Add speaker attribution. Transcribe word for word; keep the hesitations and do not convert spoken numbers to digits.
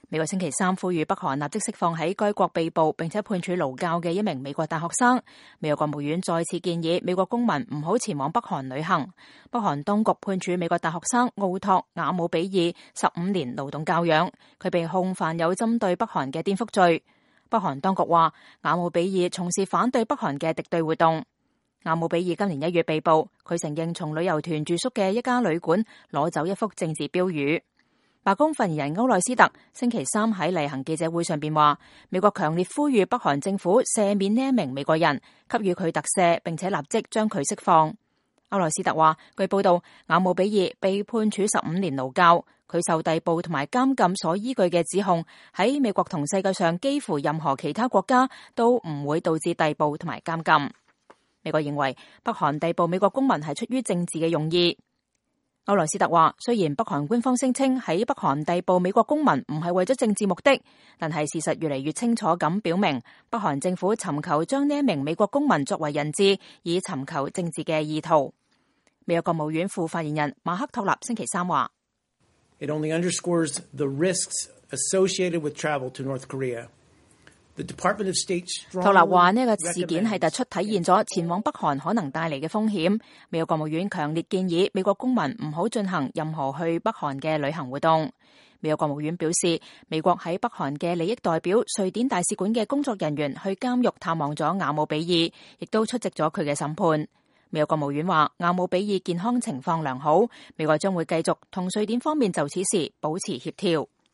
Speaker 1: 美國星期三呼籲北韓立即釋放喺該國被捕並且判處勞教嘅一名美國大學生。美國國務院再次建議美國公民唔好前往北韓旅行。北韓當局判處美國大學生奧托瓦姆比爾十五年勞動教養，佢被控犯有針對北韓嘅顛覆罪。北韓當局話瓦姆比爾從事反對北韓嘅敵對活動。瓦姆比爾今年一月被捕，佢承認從旅遊團住宿嘅一家旅館攞走一幅政治標語。白宮發言人歐內斯特星期三喺例行記者會上邊話，美國強烈呼籲北韓政府赦免呢一名美國人，給予佢特赦，並且立即將佢釋放。歐內斯特話，據報道，瓦姆比爾被判處十五年勞教，佢受逮捕同埋監禁所依據嘅指控，喺美國同世界上幾乎任何其他國家都唔會導致逮捕同埋監禁。美國認為北韓逮捕美國公民係出於政治嘅用意。歐萊斯特話，雖然北韓官方聲稱喺北韓逮捕美國公民唔係為咗政治目的，但係事實越嚟越清楚咁表明，北韓政府尋求將呢一名美國公民作為人質，以尋求政治嘅意圖。美國國務院副發言人馬克托納星期三話
Speaker 2: ，It only underscores the risks associated with travel to North Korea.
Speaker 1: 托納話呢個事件係突出體現咗前往北韓可能帶嚟嘅風險。美國國務院強烈建議美國公民唔好進行任何去北韓嘅旅行活動。美國國務院表示，美國喺北韓嘅利益代表瑞典大使館嘅工作人員去監獄探望咗瓦姆比爾，亦都出席咗佢嘅審判。美國國務院話，瓦姆比爾健康情況良好，美國將會繼續同瑞典方面就此事保持協調。